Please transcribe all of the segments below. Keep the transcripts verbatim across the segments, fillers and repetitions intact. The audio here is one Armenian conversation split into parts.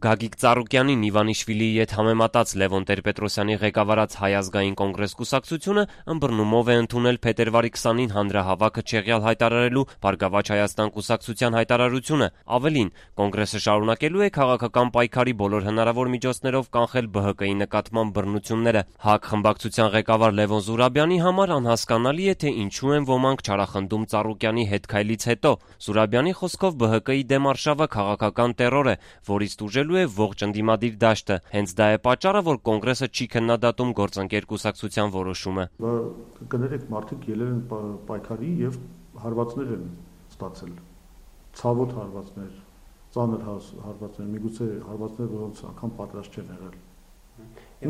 Գագիկ Ծառուկյանին Իվանիշվիլիի հետ համեմատած Լևոն Տեր-Պետրոսյանի ղեկավարած Հայ ազգային կոնգրես կուսակցությունը ըմբռնումով է ընդունել փետրվարի քսանին հանրահավաքը չեղյալ հայտարարելու Բարգավաճ Հայաստան կուսակցության հայտարարությունը։ Ավելին, կոնգրեսը շարունակելու է քաղաքական պայքարի բոլոր հնարավոր միջոցներով կանխել Բ Հ Կ-ի նկատմամբ բռնությունները։ ՀԱԿ խմբակցության ղեկավար Լևոն Զուրաբյանի համար անհասկանալի է, թե ինչու են ոմանք չարախնդում Ծառուկյանի հետ քայլից հետո։ Զուրաբյանի խոսքով Բ Հ Կ-ի դեմ արշավը քաղաքական տեռոր է, որից տուժելու է ողջ ընդդիմադիր դաշտը։ Հենց դա է պատճառը, որ կոնգրեսը չի քննադատում գործընկեր կուսակցության որոշումը։ Կներեք, մարդիկ ելել են պայքարի եւ հարվածներ են ստացել։ Ցավոտ հարվածներ, ծանր հարվածներ, միգուցե հարվածներ, որոնց անգամ պատրաստ չեն եղել։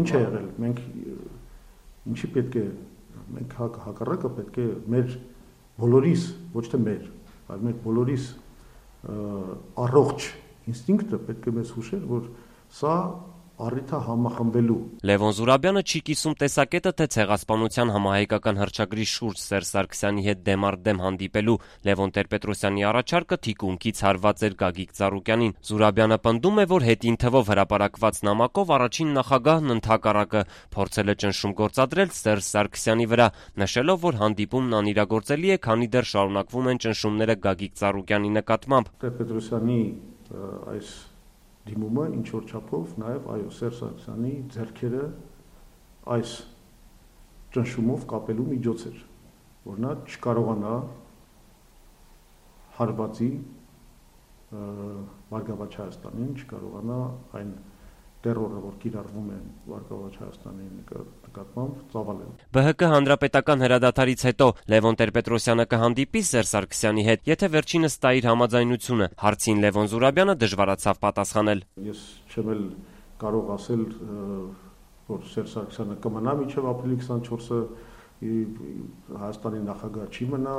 Ինչ է եղել։ Մենք ինչի պետք է մենք հակառակը պետք է մեր բոլորիս, ոչ թե մեր, այլ մեր բոլորիս առողջ ինստինկտը պետք է մեզ հուշել, որ սա առիթ է համախմբելու։ Լևոն Զուրաբյանը չի կիսում տեսակետը, թե ցեղասպանության համահայկական հռչակագրի շուրջ Սերժ Սարգսյանի հետ դեմ առ դեմ հանդիպելու Լևոն Տեր-Պետրոսյանի առաջարկը թիկունքից հարված էր Գագիկ Ծառուկյանին։ Զուրաբյանը պնդում է, որ հետին թվով հրապարակված նամակով առաջին նախագահն ընդհակառակը փորձել է ճնշում գործադրել Սերժ Սարգսյանի վրա, նշելով, որ հանդիպումն անիրագործելի է, քանի դեռ շարունակվում են ճնշումները Գագիկ Ծառուկյանի նկատմամբ։ Տեր-Պետրոսյանի այս դիմումը ինչ որ չափով նաև այո Սերժ Սարգսյանի ձեռքերը այս ճնշումով կապելու միջոց էր, որ նա չկարողանա հարվածի Բարգավաճ Հայաստանին, չկարողանա այն տերորը, որ կիրառվում է Բարգավաճ Հայաստանի նկատմամբ ծավալել։ Բ Հ Կ հանրապետական հրադադարից հետո Լևոն Տեր-Պետրոսյանը կհանդիպի Սերժ Սարգսյանի հետ, եթե վերջինս տա իր համաձայնությունը։ Հարցին Լևոն Զուրաբյանը դժվարացավ պատասխանել։ Ես չեմ էլ կարող ասել, որ Սերժ Սարգսյանը կմնա մինչև ապրիլի քսանչորսը, Հայաստանի նախագահ չի մնա,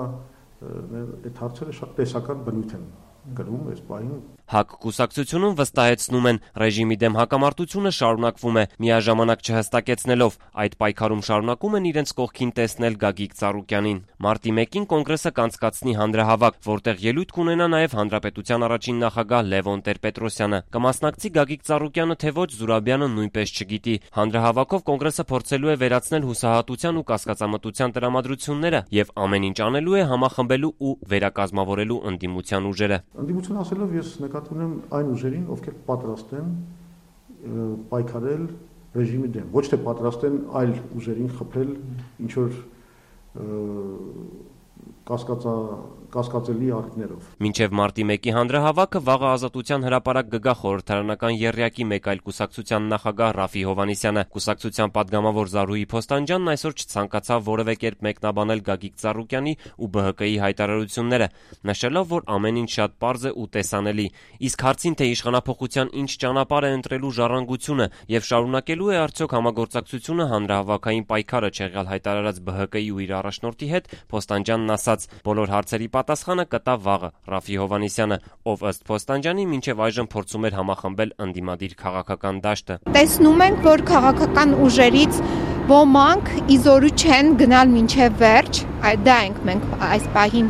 այդ հարցերը շատ տեսական բնույթ են գրում այս պահին։ ՀԱԿ կուսակցությունում վստահեցնում են, ռեժիմի դեմ հակամարտությունը շարունակվում է, միաժամանակ չհստակեցնելով այդ պայքարում շարունակում են իրենց կողքին տեսնել Գագիկ Ծառուկյանին։ Մարտի մեկին կոնգրեսը կանցկացնի հանրահավաք, որտեղ ելույթ կունենա նաև հանրապետության առաջին նախագահ Լևոն Տեր-Պետրոսյանը։ Կմասնակցի Գագիկ Ծառուկյանը, թե ոչ, Զուրաբյանը նույնպես չգիտի։ Հանրահավաքով կոնգրեսը փորձելու է վերացնել հուսահատության ու կասկածամտության տրամադրությունները եւ ամեն ինչ անելու է համախմբելու ու վերակազմավորելու ընդդիմության ուժերը։ Ընդդիմություն ասելով ես նկատի ունեմ այն ուժերին, ովքեր պատրաստ են պայքարել ռեժիմի դեմ, ոչ թե պատրաստ են այլ ուժերին խփել ինչ որ կասկածա կասկածելի առիթներով։ Մինչև մարտի մեկի հանրահավաքը վաղը Ազատության հրապարակ կգա խորհրդարանական եռյակի մեկ այլ կուսակցության նախագահ Ռաֆի Հովհաննիսյանը։ Կուսակցության падգամավոր Զարուհի Փոստանջյանն այսօր չցանկացավ որևէ կերպ մեկնաբանել Գագիկ Ծառուկյանի ու Բ Հ Կ-ի հայտարարությունները, նշելով, որ ամեն ինչ շատ պարզ է ու տեսանելի։ Իսկ հարցին, թե իշխանափոխության ինչ ճանապարհ է ընտրելու ժառանգությունը եւ շարունակելու է արդյոք համագործակցությունը հանրահավաքային պայքարը չեղյալ հայտարարած Բ Հ Կ-ի ու իր առաջնորդի հետ, Փոստանջյանն ասաց. բոլոր հարցերի պատասխանը կտա վաղը Ռաֆի Հովհաննիսյանը, ով ըստ Փոստանջյանի մինչև այժմ փորձում էր համախմբել ընդդիմադիր քաղաքական դաշտը։ Տեսնում ենք, որ քաղաքական ուժերից ոմանք իզորու չեն գնալ մինչև վերջ, դա ենք մենք այս պահին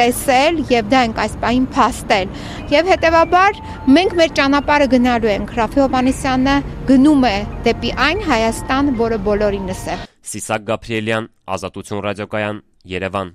տեսել եւ դա ենք այս պահին փաստել։ Եվ հետեւաբար մենք մեր ճանապարհը գնալու ենք։ Ռաֆի Հովհաննիսյանը գնում է դեպի այն Հայաստան, որը բոլորինս է։ Սիսակ Գաբրիելյան, Ազատություն ռադիոկայան, Երևան։